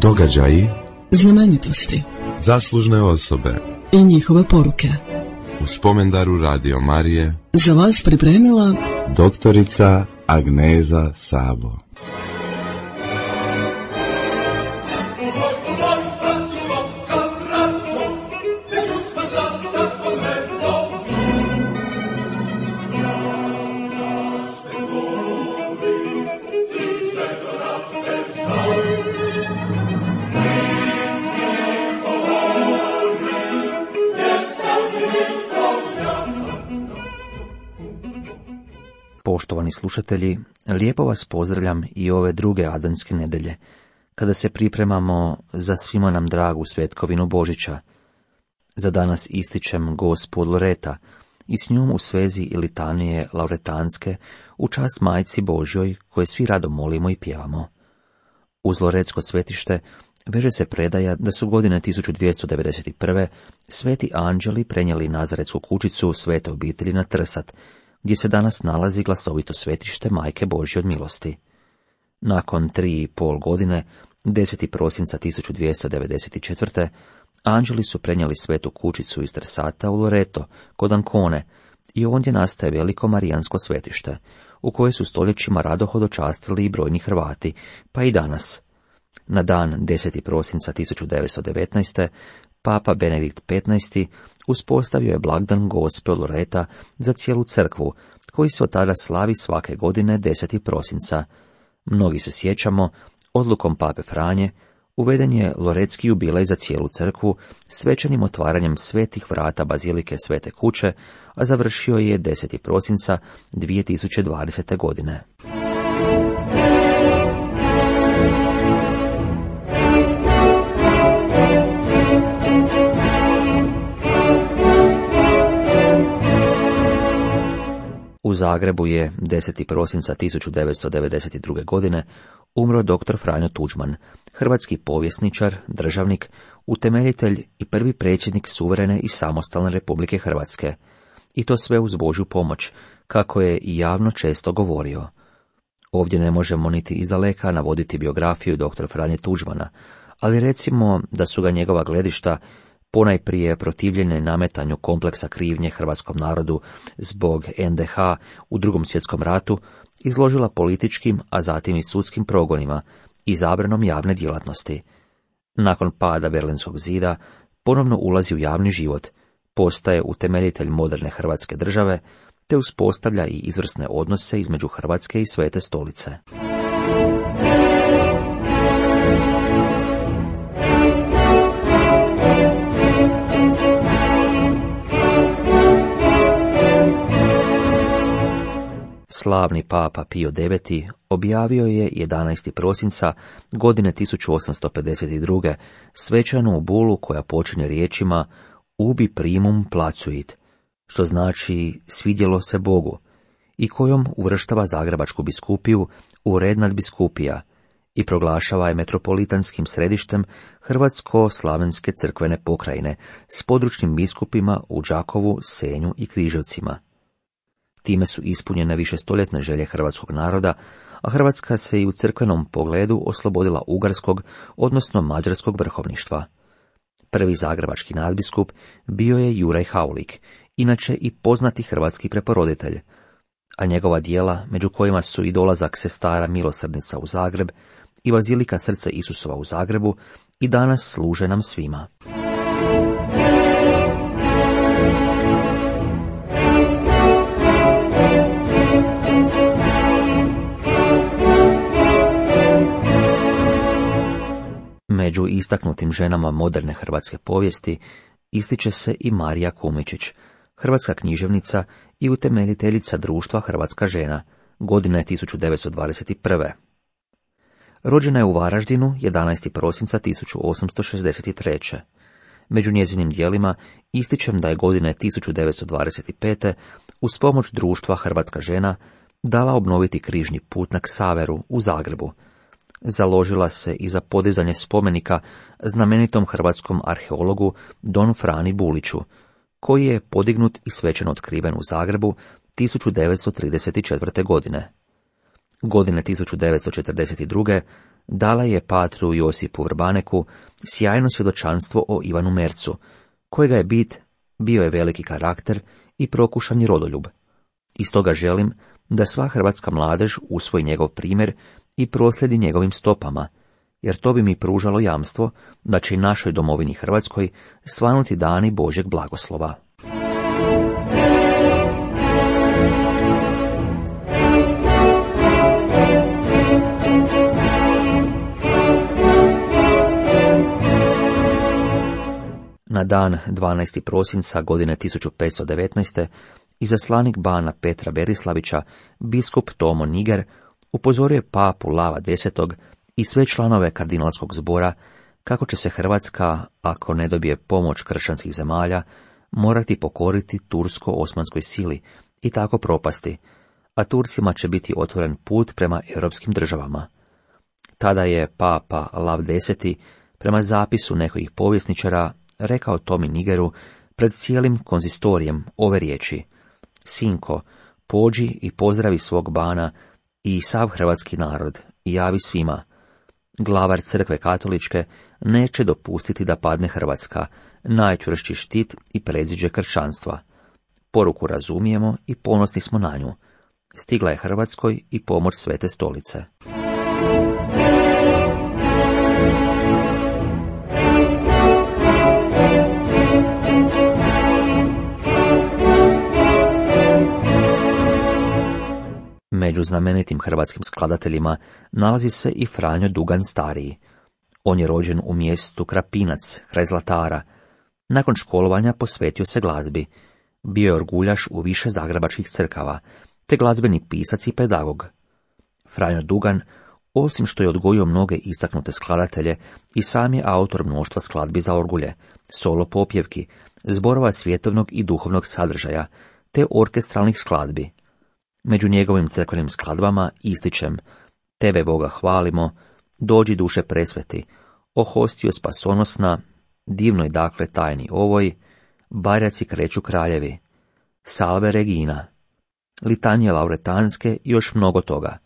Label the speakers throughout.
Speaker 1: Događaji,
Speaker 2: znamenitosti,
Speaker 1: zaslužne osobe
Speaker 2: i njihove poruke.
Speaker 1: U spomendaru Radio Marije
Speaker 2: Za vas pripremila
Speaker 1: doktorica Agneza Sabo.
Speaker 3: Poštovani slušatelji, lijepo vas pozdravljam i ove druge adventske nedelje, kada se pripremamo za svima nam dragu svetkovinu Božića. Za danas ističem Gospu od Loreta i s njom u svezi litanije lauretanske u čast Majci Božjoj, koje svi rado molimo i pjevamo. Uz Loretsko svetište veže se predaja da su godine 1291. sveti anđeli prenijeli Nazaretsku kućicu Svete obitelji na Trsat, gdje se danas nalazi glasovito svetište Majke Božje od milosti. Nakon 3,5 godine, 10. prosinca 1294. anđeli su prenijeli svetu kućicu iz Trsata u Loreto, kod Ancone, i ondje nastaje veliko marijansko svetište, u koje su stoljećima rado hodočastili i brojni Hrvati, pa i danas. Na dan 10. prosinca 1919. Papa Benedikt XV. Uspostavio je blagdan Gospe od Loreta za cijelu crkvu, koji se od tada slavi svake godine 10. prosinca. Mnogi se sjećamo, odlukom Pape Franje uveden je loretski jubilej za cijelu crkvu svečanim otvaranjem svetih vrata bazilike Svete kuće, a završio je 10. prosinca 2020. godine. U Zagrebu je 10. prosinca 1992. godine umro dr. Franjo Tuđman, hrvatski povjesničar, državnik, utemeljitelj i prvi predsjednik suverene i samostalne Republike Hrvatske. I to sve uz Božju pomoć, kako je i javno često govorio. Ovdje ne možemo niti izdaleka navoditi biografiju dr. Franje Tuđmana, ali recimo da su ga njegova gledišta, ponajprije protivljenje nametanju kompleksa krivnje hrvatskom narodu zbog NDH u Drugom svjetskom ratu, izložila političkim, a zatim i sudskim progonima i zabranom javne djelatnosti. Nakon pada Berlinskog zida ponovno ulazi u javni život, postaje utemeljitelj moderne Hrvatske države, te uspostavlja i izvrsne odnose između Hrvatske i Svete stolice. Slavni papa Pio IX. Objavio je 11. prosinca godine 1852. svečanu bulu koja počinje riječima ubi primum placuit, što znači svidjelo se Bogu, i kojom uvrštava Zagrebačku biskupiju u red nadbiskupija i proglašava je metropolitanskim središtem Hrvatsko-slavenske crkvene pokrajine s područnim biskupima u Đakovu, Senju i Križevcima. Time su ispunjene višestoljetne želje hrvatskog naroda, a Hrvatska se i u crkvenom pogledu oslobodila ugarskog, odnosno mađarskog vrhovništva. Prvi zagrebački nadbiskup bio je Juraj Haulik, inače i poznati hrvatski preporoditelj, a njegova djela, među kojima su i dolazak sestara Milosrdnica u Zagreb i bazilika Srce Isusova u Zagrebu, i danas služe nam svima. Među istaknutim ženama moderne hrvatske povijesti ističe se i Marija Kumičić, hrvatska književnica i utemeljiteljica društva Hrvatska žena, godine 1921. Rođena je u Varaždinu 11. prosinca 1863. Među njezinim djelima ističem da je godine 1925. uz pomoć društva Hrvatska žena dala obnoviti križni put na Ksaveru u Zagrebu. Založila se i za podizanje spomenika znamenitom hrvatskom arheologu Don Frani Buliću, koji je podignut i svečano otkriven u Zagrebu 1934. godine. Godine 1942. dala je patru Josipu Vrbaneku sjajno svjedočanstvo o Ivanu Mercu, kojega je bio je veliki karakter i prokušani rodoljub. I stoga želim da sva hrvatska mladež usvoji njegov primjer i proslijedi njegovim stopama, jer to bi mi pružalo jamstvo da će i našoj domovini Hrvatskoj svanuti dani Božjeg blagoslova. Na dan 12. prosinca godine 1519. izaslanik bana Petra Berislavića, biskup Tomo Niger, upozorio je papu Lava X i sve članove kardinalskog zbora kako će se Hrvatska, ako ne dobije pomoć kršćanskih zemalja, morati pokoriti tursko-osmanskoj sili i tako propasti, a Turcima će biti otvoren put prema europskim državama. Tada je papa Lav X, prema zapisu nekih povjesničara, rekao Tomi Nigeru pred cijelim konzistorijem ove riječi: Sinko, pođi i pozdravi svog bana i sav hrvatski narod i javi svima. Glavar crkve katoličke neće dopustiti da padne Hrvatska, najčvršći štit i predziđe kršćanstva. Poruku razumijemo i ponosni smo na nju. Stigla je Hrvatskoj i pomoć Svete Stolice. Među znamenitim hrvatskim skladateljima nalazi se i Franjo Dugan Stariji. On je rođen u mjestu Krapinac, kraj Zlatara. Nakon školovanja posvetio se glazbi. Bio je orguljaš u više zagrebačkih crkava, te glazbeni pisac i pedagog. Franjo Dugan, osim što je odgojio mnoge istaknute skladatelje, i sam je autor mnoštva skladbi za orgulje, solo popjevki, zborova svjetovnog i duhovnog sadržaja, te orkestralnih skladbi. Među njegovim crkvenim skladbama ističem Tebe Boga hvalimo, Dođi duše presveti, O hostio spasonosna, Divnoj dakle tajni ovoj, Barjaci kreću kraljevi, Salve Regina, Litanije lauretanske i još mnogo toga.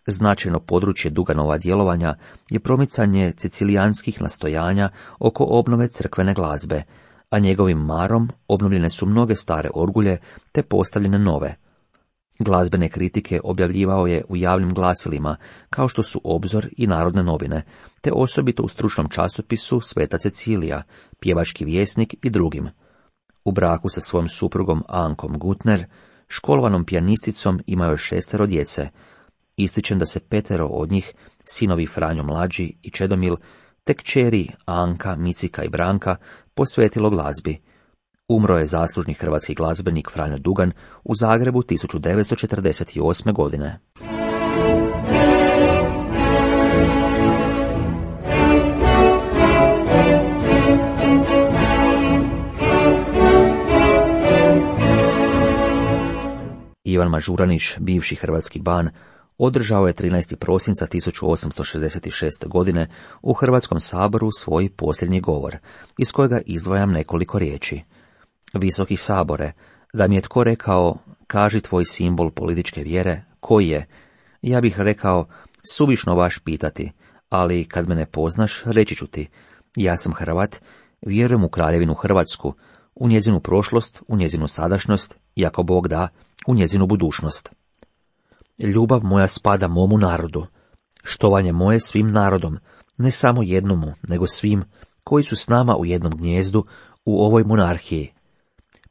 Speaker 3: Značajno područje Duganova djelovanja je promicanje cecilijanskih nastojanja oko obnove crkvene glazbe, a njegovim marom obnovljene su mnoge stare orgulje te postavljene nove. Glazbene kritike objavljivao je u javnim glasilima, kao što su Obzor i Narodne novine, te osobito u stručnom časopisu Sveta Cecilija, Pjevački vjesnik i drugim. U braku sa svojom suprugom Ankom Gutner, školovanom pijanisticom, imao je 6 djece. Ističem da se 5 od njih, sinovi Franjo mlađi i Čedomil, te kćeri Anka, Micika i Branka, posvetilo glazbi. Umro je zaslužni hrvatski glazbenik Franjo Dugan u Zagrebu 1948. godine. Ivan Mažuranić, bivši hrvatski ban, održao je 13. prosinca 1866. godine u Hrvatskom saboru svoj posljednji govor, iz kojega izdvajam nekoliko riječi. Visoki sabore, da mi je tko rekao, kaži tvoj simbol političke vjere, koji je? Ja bih rekao, suvišno vaš pitati, ali kad me ne poznaš, reći ću ti, ja sam Hrvat, vjerujem u kraljevinu Hrvatsku, u njezinu prošlost, u njezinu sadašnjost i ako Bog da, u njezinu budućnost. Ljubav moja spada momu narodu, štovanje moje svim narodom, ne samo jednomu, nego svim koji su s nama u jednom gnijezdu u ovoj monarhiji.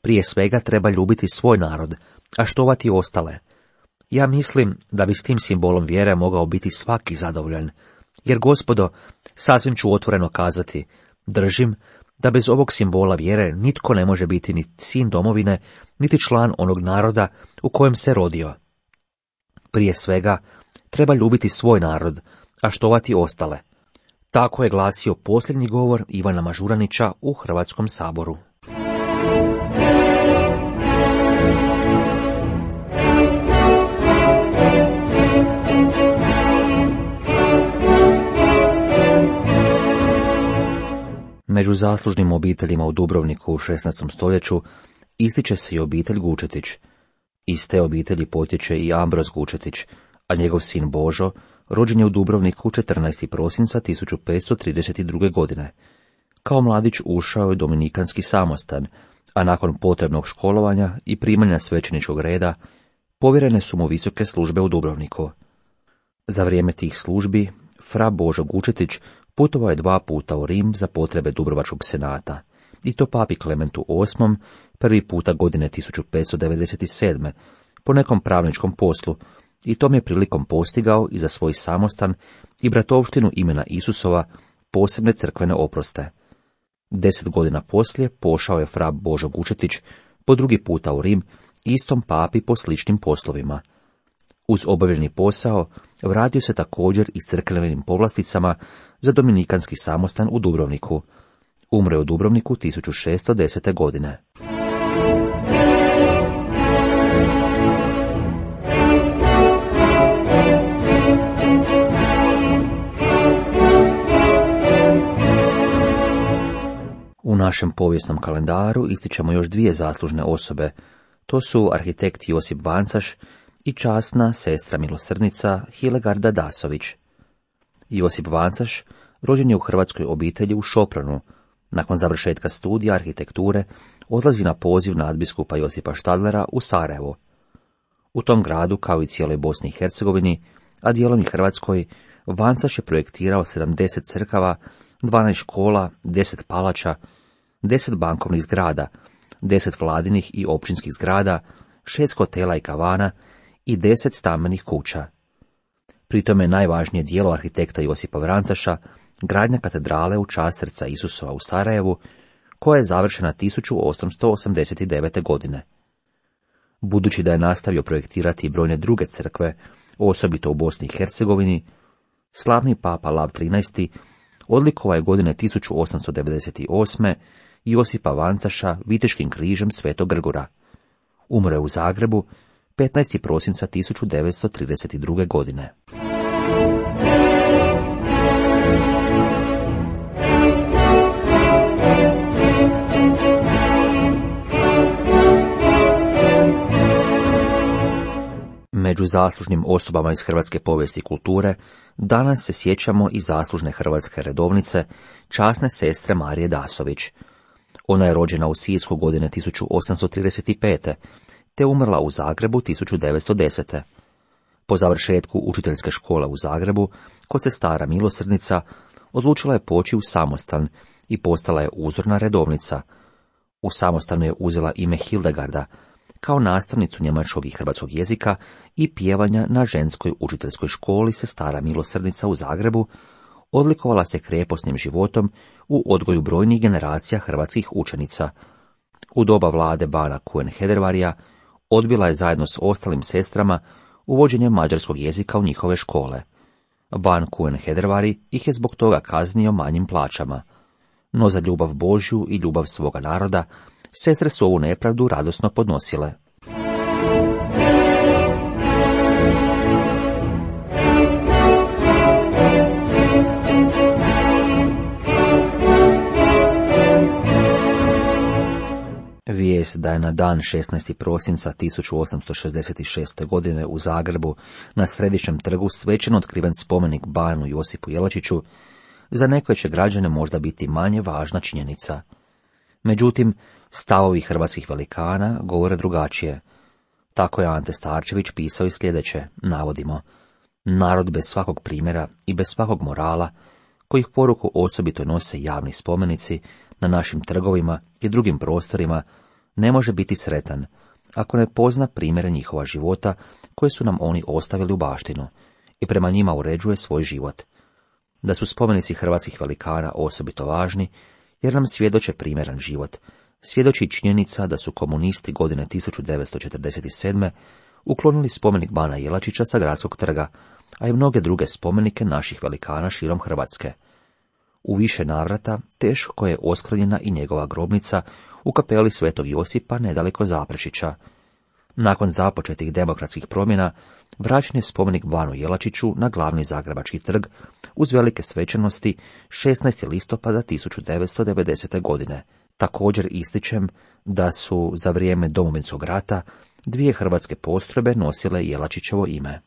Speaker 3: Prije svega treba ljubiti svoj narod, a štovati ostale. Ja mislim da bi s tim simbolom vjere mogao biti svaki zadovoljan, jer gospodo, sasvim ću otvoreno kazati, držim da bez ovog simbola vjere nitko ne može biti ni sin domovine, niti član onog naroda u kojem se rodio. Prije svega, treba ljubiti svoj narod, a štovati ostale. Tako je glasio posljednji govor Ivana Mažuranića u Hrvatskom saboru. Među zaslužnim obiteljima u Dubrovniku u 16. stoljeću ističe se i obitelj Gučetić. Iz te obitelji potječe i Ambroz Gučetić, a njegov sin Božo rođen je u Dubrovniku 14. prosinca 1532. godine. Kao mladić ušao je u dominikanski samostan, a nakon potrebnog školovanja i primanja svećeničkog reda, povjerene su mu visoke službe u Dubrovniku. Za vrijeme tih službi, fra Božo Gučetić putovao je 2 puta u Rim za potrebe Dubrovačkog senata, i to papi Klementu VIII, prvi puta godine 1597. po nekom pravničkom poslu, i tom je prilikom postigao i za svoj samostan i bratovštinu imena Isusova posebne crkvene oproste. 10 godina poslije pošao je fra Božo Gučetić po 2. puta u Rim, istom papi po sličnim poslovima. Uz obavljeni posao vratio se također i s crkvenim povlasticama za dominikanski samostan u Dubrovniku. Umro je u Dubrovniku 1610. godine. U našem povijesnom kalendaru ističemo još 2 zaslužne osobe. To su arhitekt Josip Vancaš i časna sestra milosrdnica Hilegarda Dasović. Josip Vancaš rođen je u hrvatskoj obitelji u Šopranu. Nakon završetka studija arhitekture odlazi na poziv nadbiskupa Josipa Štadlera u Sarajevo. U tom gradu, kao i cijeloj Bosni i Hercegovini, a dijelom i Hrvatskoj, Vancaš je projektirao 70 crkava, 12 škola, 10 palača, 10 bankovnih zgrada, 10 vladinih i općinskih zgrada, 6 hotela i kavana i 10 stambenih kuća. Pritom je najvažnije djelo arhitekta Josipa Vancaša gradnja katedrale u čast srca Isusova u Sarajevu, koja je završena 1889. godine. Budući da je nastavio projektirati i brojne druge crkve, osobito u Bosni i Hercegovini, slavni papa Lav XIII odlikovao je godine 1898. Josipa Vancaša viteškim križem Svetog Grgura. Umro je u Zagrebu 15. prosinca 1932. godine. Među zaslužnim osobama iz hrvatske povijesti i kulture danas se sjećamo i zaslužne hrvatske redovnice, časne sestre Marije Dasović. Ona je rođena u Sisku godine 1835. te umrla u Zagrebu 1910. Po završetku učiteljske škole u Zagrebu, kod sestara milosrdnica, odlučila je poći u samostan i postala je uzorna redovnica. U samostanu je uzela ime Hildegarda, kao nastavnicu njemačkog i hrvatskog jezika i pjevanja na ženskoj učiteljskoj školi sestara milosrdnica u Zagrebu, odlikovala se kreposnim životom u odgoju brojnih generacija hrvatskih učenica. U doba vlade bana Kuen-Hedervarija odbila je zajedno s ostalim sestrama uvođenje mađarskog jezika u njihove škole. Ban Kuen-Hedervari ih je zbog toga kaznio manjim plaćama. No za ljubav Božju i ljubav svoga naroda, sestre su ovu nepravdu radosno podnosile. Vijest da je na dan 16. prosinca 1866. godine u Zagrebu na Središnjem trgu svečano otkriven spomenik banu Josipu Jelačiću, za neke će građane možda biti manje važna činjenica. Međutim, stavovi hrvatskih velikana govore drugačije. Tako je Ante Starčević pisao i sljedeće, navodimo: narod bez svakog primjera i bez svakog morala, kojih poruku osobito nose javni spomenici na našim trgovima i drugim prostorima, ne može biti sretan, ako ne pozna primjere njihova života koje su nam oni ostavili u baštinu i prema njima uređuje svoj život. Da su spomenici hrvatskih velikana osobito važni, jer nam svjedoče primjeran život, svjedoči činjenica da su komunisti godine 1947. uklonili spomenik bana Jelačića sa Gradskog trga, a i mnoge druge spomenike naših velikana širom Hrvatske. U više navrata teško je oskrnjena i njegova grobnica u kapeli Svetog Josipa nedaleko Zaprešića. Nakon započetih demokratskih promjena, vraćen je spomenik banu Jelačiću na glavni zagrebački trg uz velike svečanosti 16. listopada 1990. godine. Također ističem da su za vrijeme Domovinskog rata 2 hrvatske postrojbe nosile Jelačićevo ime.